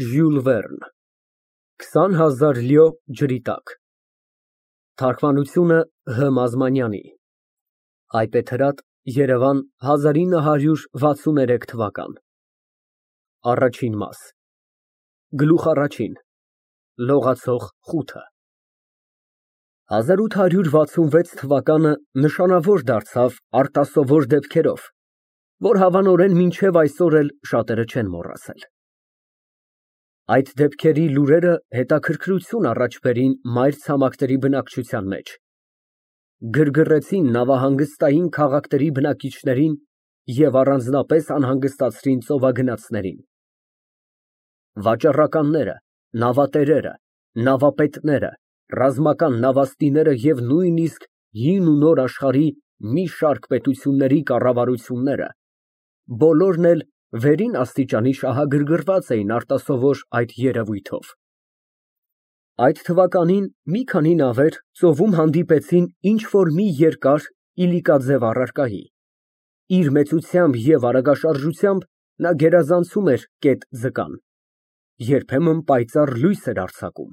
Ժյուլ Վերն, 20000 լյո ջրի տակ։ Թարգմանությունը Հ. Մազմանյանի, Հայբեթրատ, Երևան 1963 Առաջին մաս Գլուխ առաջին Լողացող խութը 1866 թվականը նշանավոր դարձավ արտասովոր դեպքերով, որ հավանորեն մինչև այսօր էլ շատերը չեն մոռացել։ Այդ դեպքերի լուրերը հետաքրքրություն առաջ բերին մայր ցամաքների բնակչության մեջ, գրգռեցին նավահանգստային քաղաքների բնակիչներին և առանձնապես անհանգստացրին ծովագնացներին։ Վաճառականները, նավատերերը, նավապետները, ռազմական նավաստիները և նույնիսկ հին ու նոր աշխարհի մի շարք պետությունների կառավարությունները բոլորն էլ վերին աստիճանի շահագրգռված էին արտասովոր այդ երևույթով։ Այդ թվականին մի քանի նավեր ծովում հանդիպեցին ինչ֊որ մի երկար իլիկաձև առարկայի։ Իր մեծությամբ և արագաշարժությամբ նա գերազանցում էր կետ ձկան, երբեմն պայծառ լույս էր արձակում։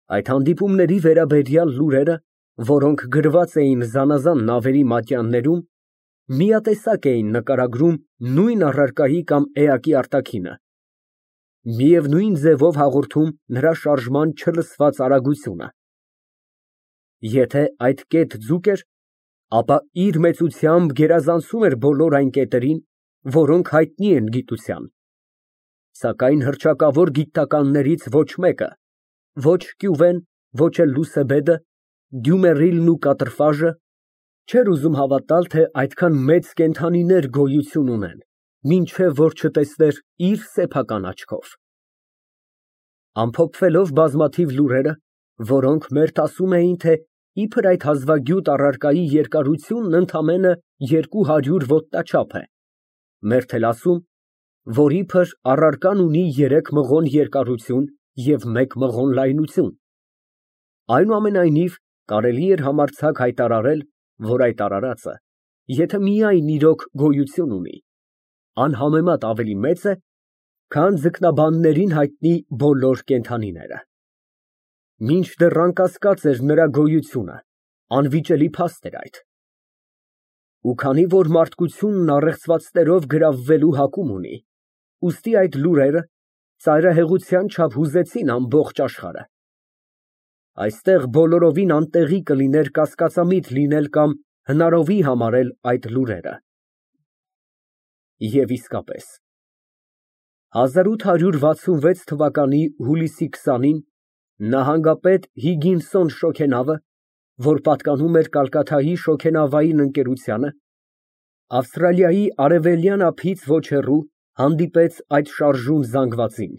Այդ հանդիպումների վերաբերյալ լուրերը, որոնք գրված էին զանազան նավերի մատյաններում, միատեսակ էին նկարագրում նույն առարկայի կամ էակի արտաքինը, միևնույն ձևով հաղորդում նրա շարժման չլսված արագությունը։ Եթե այդ կետ ձուկ էր, ապա իր մեծությամբ գերազանցում էր բոլոր այն կետերին, որոնք հայտնի են գիտության, սակայն հռչակավոր գիտնականներից ոչ մեկը, ոչ Կյուվեն, ոչ էլ Լուսեբեդը, Դյումերիլն ու Կատրֆաժը չէր ուզում հավատալ, թե այդքան մեծ կենդանիներ գոյություն ունեն, մինչև որ չտեսներ իր սեփական աչքով։ Ամփոփվելով բազմաթիվ լուրերը, որոնք մերթ ասում էին, թե իբր այդ հազվագյուտ առարկայի երկարությունն ընդամենը 200 ոտնաչափ է, մերթ էլ ասում, որ իբր առարկան ունի 3 մղոն երկարություն և 1 մղոն լայնություն, այնուամենայնիվ կարելի էր համարձակ հայտարարել, որ այդ արարածը, եթե միայն իրոք գոյություն ունի, անհամեմատ ավելի մեծ է, քան ձկնաբաններին հայտնի բոլոր կենդանիները։ Մինչդեռ անկասկած էր նրա գոյությունը, անվիճելի փաստ էր այդ։ Ու քանի որ մարդկությունն առեղծվածներով գրավվելու հակում ունի, ուստի այդ լուրերը ծայրահեղության չափ հուզեցին ամբողջ աշխարհը։ Այստեղ բոլորովին անտեղի կլիներ կասկածամիտ լինել կամ հնարովի համարել այդ լուրերը։ Եվ իսկապես, 1866 թվականի հուլիսի 20-ին նահանգապետ Հիգինսոն շոգենավը, որ պատկանում էր Կալկաթայի շոգենավային ընկերությանը, Ավստրալիայի արևելյան ափից ոչ հեռու հանդիպեց այդ շարժուն զանգվածին։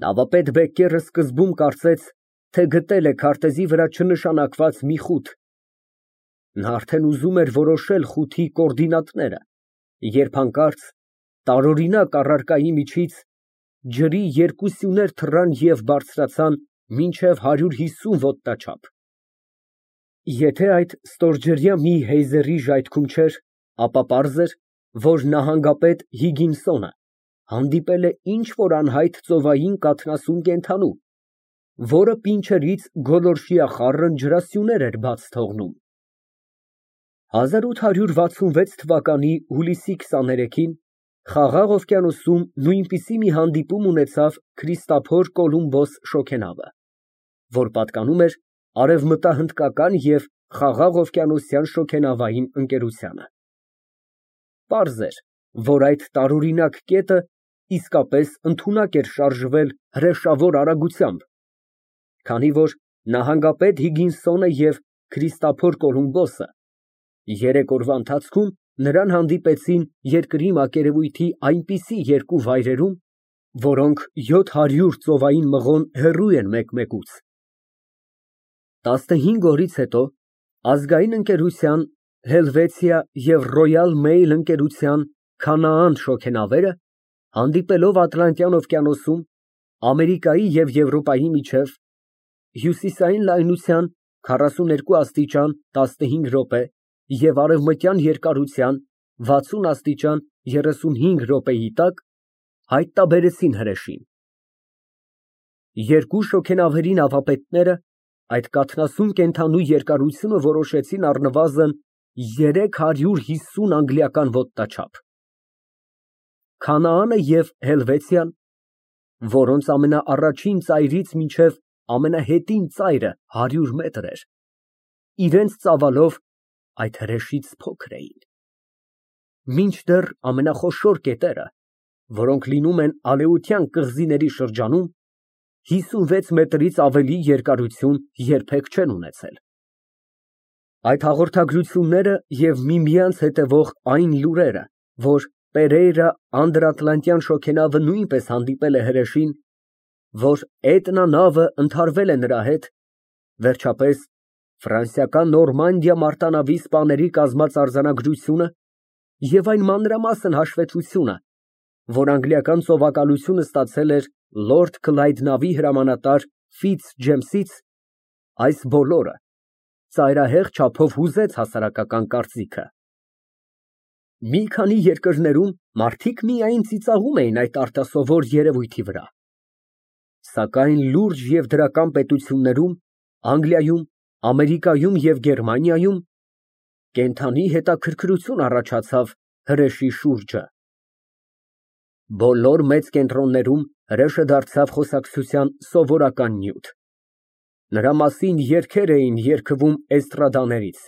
Նավապետ Բեկկերը սկզբում կարծեց, թե գտել է քարտեզի վրա չնշանակված մի խուտ։ Նա արդեն ուզում էր որոշել խութի կոորդինատները, երբ հանկարծ տարօրինակ առարկայի միջից ջրի երկու սյուներ թռան և բարձրացան մինչև 150 ոտնաչափ։ Եթե այդ ստորջրյա մի հեյզերի ժայթքում չէր, ապա պարզ էր, որ նահանգապետ Հիգինսոնը հանդիպել է ինչ֊որ անհայտ ծովային կաթնասուն կենդանու, որը պինչերից գոլորշիա խառն ջրասյուներ էր բաց թողնում։ 1866 թվականի հուլիսի 23-ին Խաղաղ օվկիանոսում նույնպիսի մի հանդիպում ունեցավ Քրիստոֆոր Կոլումբոս շոգենավը, որ պատկանում էր Արևմտահնդկական և Խաղաղ օվկիանոսյան շոգենավային ընկերությանը։ Պարզ էր, որ այդ տարօրինակ կետը իսկապես ընդունակ էր շարժվել հրեշավոր արագությամբ, քանի որ նահանգապետ Հիգինսոնը և Քրիստոֆոր Կոլումբոսը 3 օրվա ընթացքում նրան հանդիպեցին երկրի մակերևույթի այնպիսի երկու վայրերում, որոնք 700 ծովային մղոն հեռու են մեկմեկուց։ 15 օրից հետո ազգային ընկերության Հելվեցիա և Ռոյալ Մեյլ ընկերության Քանաան շոգենավերը հանդիպելով Ատլանտյան օվկիանոսում Ամերիկայի և Եվրոպայի միջև հյուսիսային լայնության 42 աստիճան 15 րոպե և արևմտյան երկարության 60 աստիճան 35 րոպեի տակ Հայտնաբերեցին հրեշին։ Երկու շոգենավերի նավապետները այդ կաթնասուն կենդանու երկարությունը որոշեցին առնվազն 350 անգլիական ոտնաչափ։ Քանաանը և Հելվեցիան, որոնց ամենաառաջին ծայրից մինչև ամենահետին ծայրը 100 մետր էր, իրենց ծավալով այդ հրեշից փոքր էին, մինչդեռ ամենախոշոր կետերը, որոնք լինում են Ալեության կղզիների շրջանում, 56 մետրից ավելի երկարություն երբեք չեն ունեցել։ Այդ հաղորդագրությունները և միմյանց հետևող այն լուրերը, որ Պերեյրա անդրատլանտյան շոգենավը նույնպես հանդիպել է հրեշին, որ Էտնա նավը ընդհարվել է նրա հետ, վերջապես ֆրանսիական Նորմանդիա մարտանավի սպաների կազմած արձանագրությունը և այն մանրամասն հաշվետվությունը, որ անգլիական ծովակալությունը ստացել էր Լորդ Քլայդ նավի հրամանատար Ֆիցջեյմսից, այս բոլորը ծայրահեղ չափով հուզեց հասարակական կարծիքը։ Մի քանի երկրներում մարդիկ միայն ծիծաղում էին այդ արտասովոր երևույթի վրա, սակայն լուրջ և դրական պետություններում, Անգլիայում, Ամերիկայում և Գերմանիայում կենդանի հետաքրքրություն առաջացավ հրեշի շուրջը։ Բոլոր մեծ կենտրոններում հրեշը դարձավ խոսակցության սովորական նյութ։ Նրա մասին երգեր էին երգվում էստրադաներից։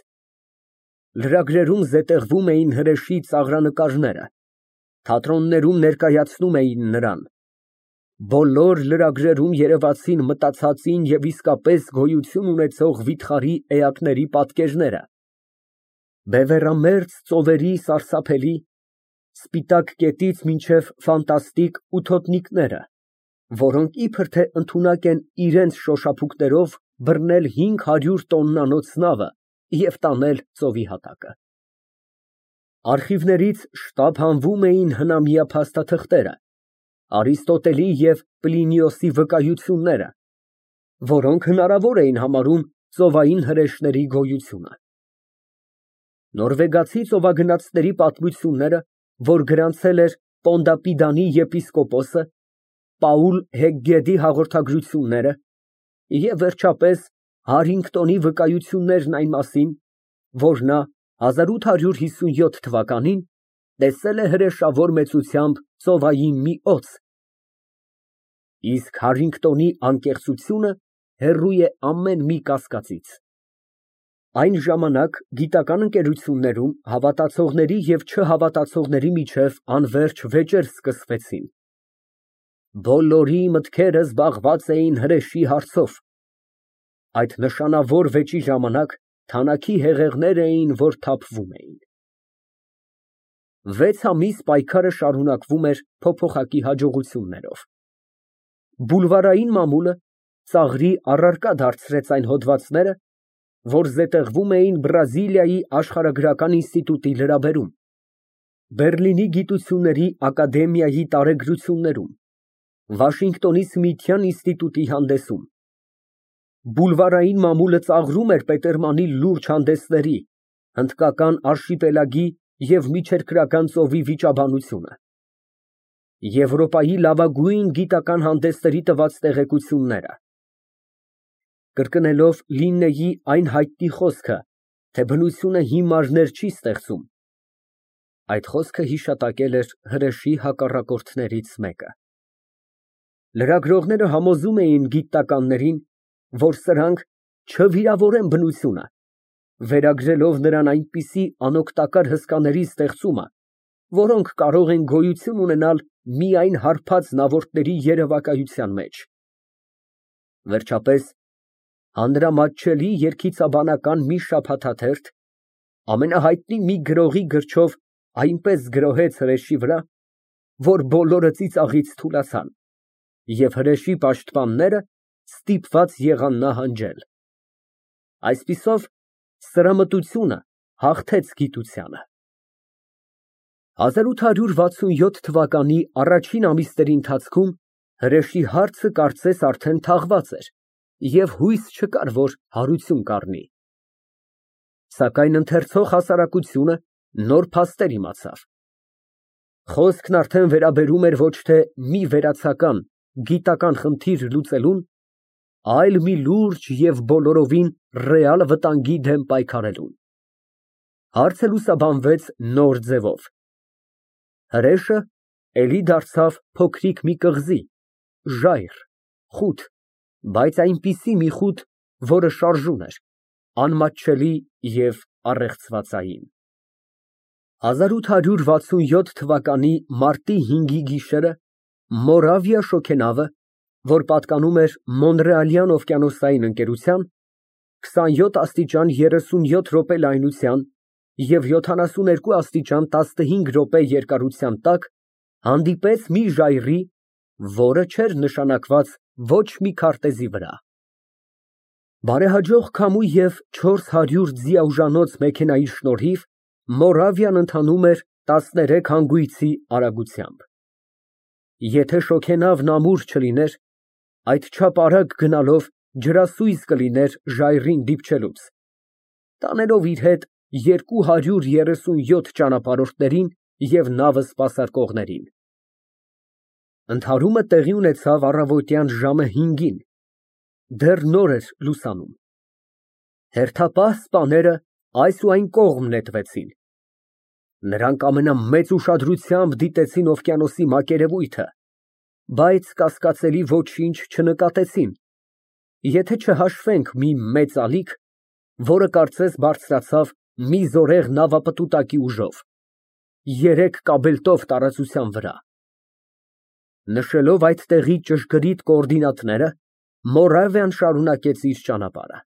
Լրագրերում զետեղվում էին հրեշի ծաղրանկարները, թատրոններում ներկայացնում էին նրան։ Բոլոր լրագրերում երևացին մտածածին և իսկապես գոյություն ունեցող վիթխարի էակների պատկերները, բևեռամերձ ծովերի սարսափելի, սպիտակ կետից մինչև ֆանտաստիկ ութոտնիկները, որոնք իբր թե ընդունակ են իրենց շոշափուկներով բռնել 500 տոննանոց նավը և տանել ծովի հատակը։ Արխիվներից շտապ հանվում էին հնամյա փաստաթղթերը, Արիստոտելի և Պլինիոսի վկայությունները, որոնք հնարավոր էին համարում ծովային հրեշների գոյությունը։ Նորվեգացի ծովագնացների պատմությունները, որ գրանցել էր Պոնդապիդանի եպիսկոպոսը, Պաուլ Հեգգեդի հաղորդագրությունները և, վերջապես, Հարինգտոնի վկայություններն այն մասին, որ նա 1857 թվականին տեսել է հրեշավոր մեծությամբ ծովային մի օձ, իսկ Հարինգտոնի անկեղծությունը հեռու է ամեն մի կասկածից։ Այն ժամանակ գիտական ընկերություններում հավատացողների և չհավատացողների միջև անվերջ վեճեր սկսվեցին։ Բոլորի մտքերը զբաղված էին հրեշի հարցով։ Այդ նշանավոր վեճի ժամանակ թանաքի հեղեղներ էին, որ թափվում էին։ 6 ամիս պայքարը շարունակվում էր փոփոխակի հաջողություններով։ Բուլվարային մամուլը ծաղրի առարկա դարձրեց այն հոդվածները, որ զետեղվում էին Բրազիլիայի աշխարհագրական ինստիտուտի լրաբերում, Բեռլինի գիտությունների ակադեմիայի տարեգրություններում, Վաշինգտոնի Սմիթյան ինստիտուտի հանդեսում։ Բուլվարային մամուլը ծաղրում էր Պետերմանի լուրջ հանդեսների, հնդկական արշիպելագի և Միջերկրական ծովի վիճաբանությունը, Եվրոպայի լավագույն գիտական հանդեսների տված տեղեկությունները, կրկնելով Լիննեի այն հայտնի խոսքը, թե բնությունը հիմարներ չի ստեղծում, այդ խոսքը հիշատակել էր հրեշի հակառակորդներից մեկը։ Լրագրողները համոզում էին գիտնականներին, որ սրանք չվիրավորեն բնությունը, վերագրելով նրան այնպիսի անօգտակար հսկաների ստեղծումը, որոնք կարող են գոյություն ունենալ միայն հարբած նավորդների երևակայության մեջ։ Վերջապես, հանրամատչելի երգիծաբանական մի շաբաթաթերթ ամենահայտնի մի գրողի գրչով այնպես գրոհեց հրեշի վրա, որ բոլորը ծիծաղից թուլացան, և հրեշի պաշտպանները ստիպված եղան նահանջել։ Այսպիսով, սրամտությունը հաղթեց գիտությանը։ 1867 թվականի առաջին ամիսների ընթացքում հրեշի հարցը կարծես արդեն թաղված էր և հույս չկար, որ հարություն կառնի։ Սակայն ընթերցող հասարակությունը նոր փաստեր իմացավ։ Խոսքն արդեն վերաբերում էր ոչ թե մի վերացական, գիտական խնդիր լուծելուն, այլ մի լուրջ և բոլորովին ռեալ վտանգի դեմ պայքարելուն։ Հարցը լուսաբանվեց նոր ձևով. հրեշը էլի դարձավ փոքրիկ մի կղզի, ժայռ, խուտ, բայց այնպիսի մի խուտ, որը շարժուն էր, անմատչելի և առեղծվածային։ 1867 թվականի մարտի 5-ի գիշերը Մորավիա շոգենավը, որ պատկանում էր Մոնրեալյան օվկիանոսային ընկերության, 27 աստիճան 37 րոպե լայնության և 72 աստիճան 15 րոպե երկարության տակ հանդիպեց մի ժայռի, որը չէր նշանակված ոչ մի քարտեզի վրա։ Բարեհաջող քամու և 400 ձիաուժանոց մեքենայի շնորհիվ Մորավիան ընթանում էր 13 հանգույցի արագությամբ։ Եթե շոգենավն ամուր չլիներ, այդչափ արագ գնալով ջրասույզ կլիներ ժայռին դիպչելուց, տանելով իր հետ 237 ճանապարհորդներին և նավը սպասարկողներին։ Ընդհարումը տեղի ունեցավ առավոտյան ժամը 5-ին, դեռ նոր էր լուսանում։ Հերթապահ սպաները այս ու այն կողմ նետվեցին։ Նրանք ամենամեծ ուշադրությամբ դիտեցին օվկիանոսի մակերևույթը, բայց կասկածելի ոչինչ չնկատեցին, եթե չհաշվենք մի մեծ ալիք, որը կարծես բարձրացավ մի զորեղ նավապտուտակի ուժով, 3 կաբելտով տարածության վրա։ Նշելով այդ տեղի ճշգրիտ կոորդինատները, Մորավիան շարունակեց իր ճանապարհը։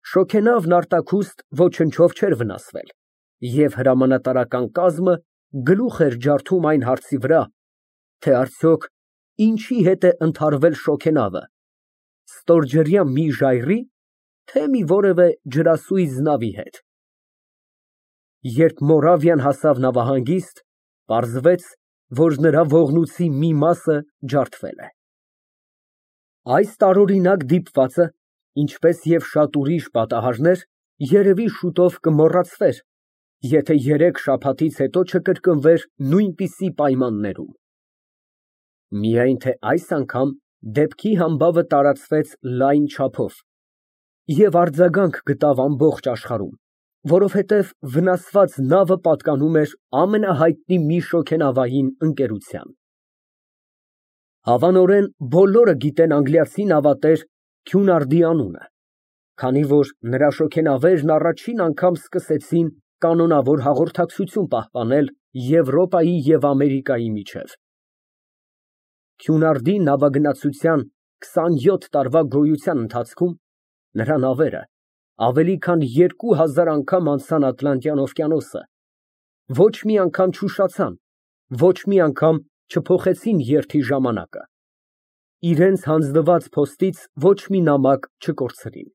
Շոգենավն արտաքուստ ոչնչով չէր վնասվել, և հրամանատարական կազմը գլուխ էր ջարդում այն հարցի վրա, թե արդյոք ինչի հետ է ընդհարվել շոգենավը, ստորջրյա մի ժայռի, թե մի որևէ ջրասույզ նավի հետ։ Երբ Մորավիան հասավ նավահանգիստ, պարզվեց, որ նրա ողնույցի մի մասը ջարդվել է։ Այս տարօրինակ դիպվածը, ինչպես և շատ ուրիշ պատահարներ, երևի շուտով կմոռացվեր, եթե 3 շաբաթից հետո չկրկնվեր նույնպիսի պայմաններում։ Միայն թե այս անգամ դեպքի համբավը տարածվեց լայն չափով և արձագանք գտավ ամբողջ աշխարհում, որովհետև վնասված նավը պատկանում էր ամենահայտնի մի շոգենավային ընկերության։ Հավանորեն բոլորը գիտեն անգլիացի նավատեր Քյունարդի անունը, քանի որ նրա շոգենավերն առաջին անգամ սկսեցին կանոնավոր հաղորդակցություն պահպանել Եվրոպայի և Ամերիկայի միջև։ Քյունարդի նավագնացության 27 տարվա գոյության ընթացքում նրա նավերը ավելի քան 2000 անգամ անցան Ատլանտյան օվկիանոսը, ոչ մի անգամ չուշացան, ոչ մի անգամ չփոխեցին երթի ժամանակը, իրենց հանձնված փոստից ոչ մի նամակ չկորցրին։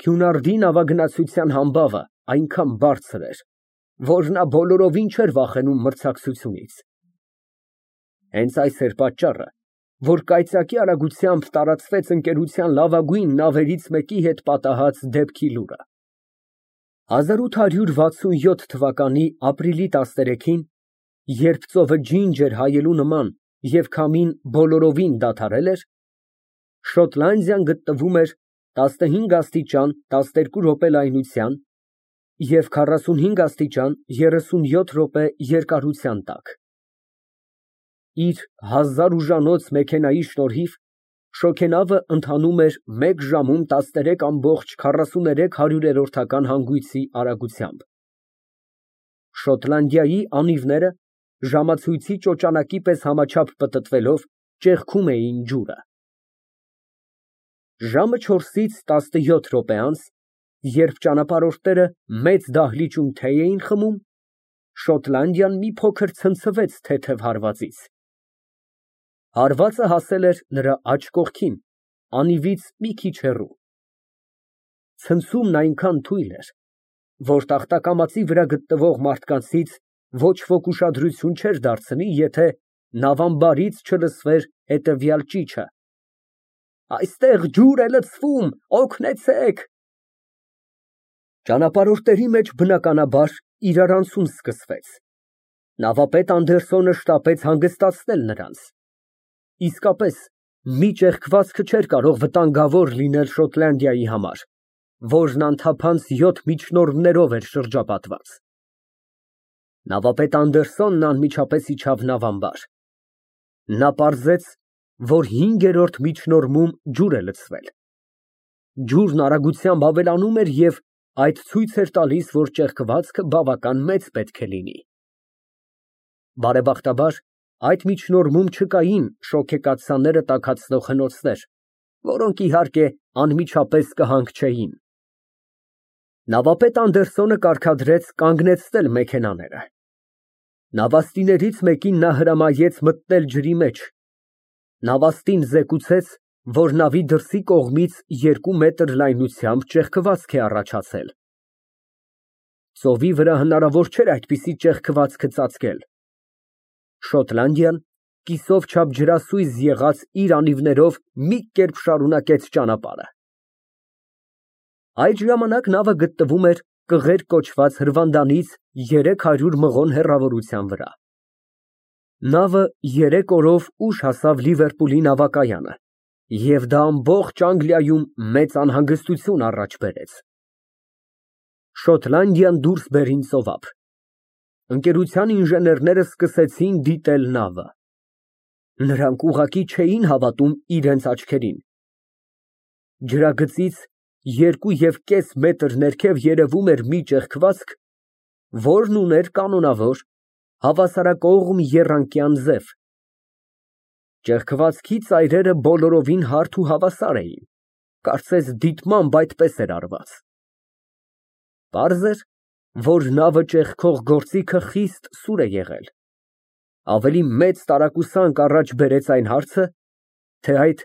Քյունարդի նավագնացության համբավը այնքան բարձր էր, որ նա բոլորովին չէր վախենում մրցակցությունից։ Հենց այս էր պատճառը, որ կայծակի արագությամբ տարածվեց ընկերության լավագույն նավերից մեկի հետ պատահած դեպքի լուրը։ 1867 թվականի ապրիլի 13-ին, երբ ծովը ջինջ էր հայելու նման և քամին բոլորովին դադարել էր, Շոտլանդիան գտնվում էր 15 աստիճան 12 րոպե լայնության և 45 աստիճան 37 րոպե երկարության տակ։ Իր 1000 ուժանոց մեքենայի շնորհիվ շոգենավը ընթանում էր 1 ժամում 13,43 հանգույցի արագությամբ։ Շոտլանդիայի անիվները ժամացույցի ճոճանակի պես համաչափ պտտվելով ճեղքում էին ջուրը։ Ժամը 4-ից 17 րոպե անց, երբ ճանապարհորդները մեծ դահլիճում թեյ էին խմում, Շոտլանդիան մի փոքր ցնցվեց թեթև հարվածից։ Հարվածը հասել էր նրա աջ կողքին, անիվից մի քիչ հեռու։ Ցնցումն այնքան թույլ էր, որ տախտակամածի վրա գտնվող մարդկանցից ոչ ոք ուշադրություն չէր դարձնի, եթե նավամբարից չլսվեր հետևյալ ճիչը. «Այստեղ ջուր է լցվում, օգնեցե՜ք»։ Ճանապարհորդների մեջ բնականաբար իրարանցում սկսվեց։ Նավապետ Անդերսոնը շտապեց հանգստացնել նրանց։ Իսկապես, մի ճեղքվածքը չէր կարող վտանգավոր լինել Շոտլանդիայի համար, որն անթափանց 7 միջնորդներով էր շրջապատված։ Նավապետ Անդերսոնն անմիջապես իջավ նավամբար։ Նա պարզեց, որ 5-րդ միջնորմում ջուր է լցվել։ Ջուրն արագությամբ ավելանում էր և այդ ցույց էր տալիս, որ ճեղքվածքը բավական մեծ պետք է լինի։ Բարեբախտաբար, այդ միջնորմում չկային շոգեկաթսաները տաքացնող հնոցներ, որոնք, իհարկե, անմիջապես կհանգչեին։ Նավապետ Անդերսոնը կարգադրեց կանգնեցնել մեքենաները։ Նավաստիներից մեկին նա հրամայեց մտնել ջրի մեջ։ Նավաստին զեկուցեց, որ նավի դրսի կողմից 2 մետր լայնությամբ ճեղքվածք է առաջացել։ Ծովի վրա հնարավոր չէր այդպիսի ճեղքվածքը ծածկել։ Շոտլանդիան կիսով չափ ջրասույզ եղած իր անիվներով մի կերպ շարունակեց ճանապարհը։ Այդ ժամանակ նավը գտնվում էր Կղեր կոչված հրվանդանից 300 մղոն հեռավորության վրա։ Նավը 3 օրով ուշ հասավ Լիվերպուլի նավակայանը, և դա ամբողջ Անգլիայում մեծ անհանգստություն առաջ բերեց։ Շոտլանդիան դուրս բերին ծովափ։ Ընկերության ինժեներները սկսեցին դիտել նավը։ Նրանք ուղղակի չէին հավատում իրենց աչքերին։ Ջրագծից 2,5 մետր ներքև երևում էր մի ճեղքվածք, որն ուներ կանոնավոր, հավասարակողմ եռանկյան ձև։ Ճեղքվածքի ծայրերը բոլորովին հարթ ու հավասար էին, կարծես դիտմամբ այդպես էր արված։ Պարզ էր, որ նավը ճեղքող գործիքը խիստ սուր է եղել։ Ավելի մեծ տարակուսանք առաջ բերեց այն հարցը, թե այդ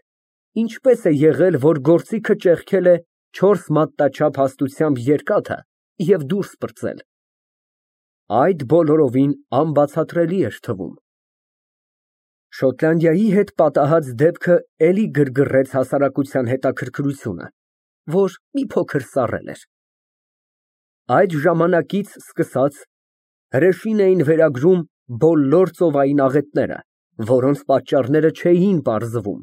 ինչպես է եղել, որ գործիքը ճեղքել է 4 մատնաչափ հաստությամբ երկաթը և դուրս պրծել։ Այդ բոլորովին անբացատրելի էր թվում։ Շոտլանդիայի հետ պատահած դեպքը էլի գրգռեց հասարակության հետաքրքրությունը, որ մի փոքր սառել էր։ Այդ ժամանակից սկսած հրեշին էին վերագրում բոլոր ծովային աղետները, որոնց պատճառները չէին պարզվում։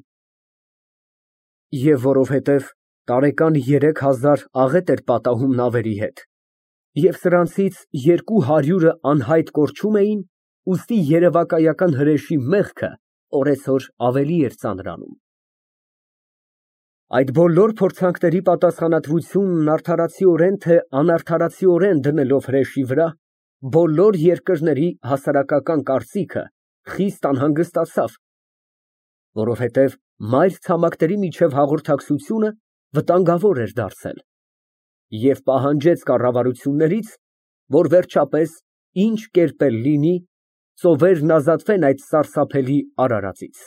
Եվ որովհետև տարեկան 3000 աղետ էր պատահում նավերի հետ, և սրանցից 200-ը անհայտ կորչում էին, ուստի երևակայական հրեշի մեղքը օրեցօր ավելի էր ծանրանում։ Այդ բոլոր փորձանքների պատասխանատվությունն արդարացիորեն թե անարդարացիորեն դնելով հրեշի վրա, բոլոր երկրների հասարակական կարծիքը խիստ անհանգստացավ, որովհետև մայր ցամաքների միջև հաղորդակցությունը վտանգավոր էր դարձել, և պահանջեց կառավարություններից, որ վերջապես, ինչ կերպ էլ լինի, ծովերն ազատվեն այդ սարսափելի արարածից։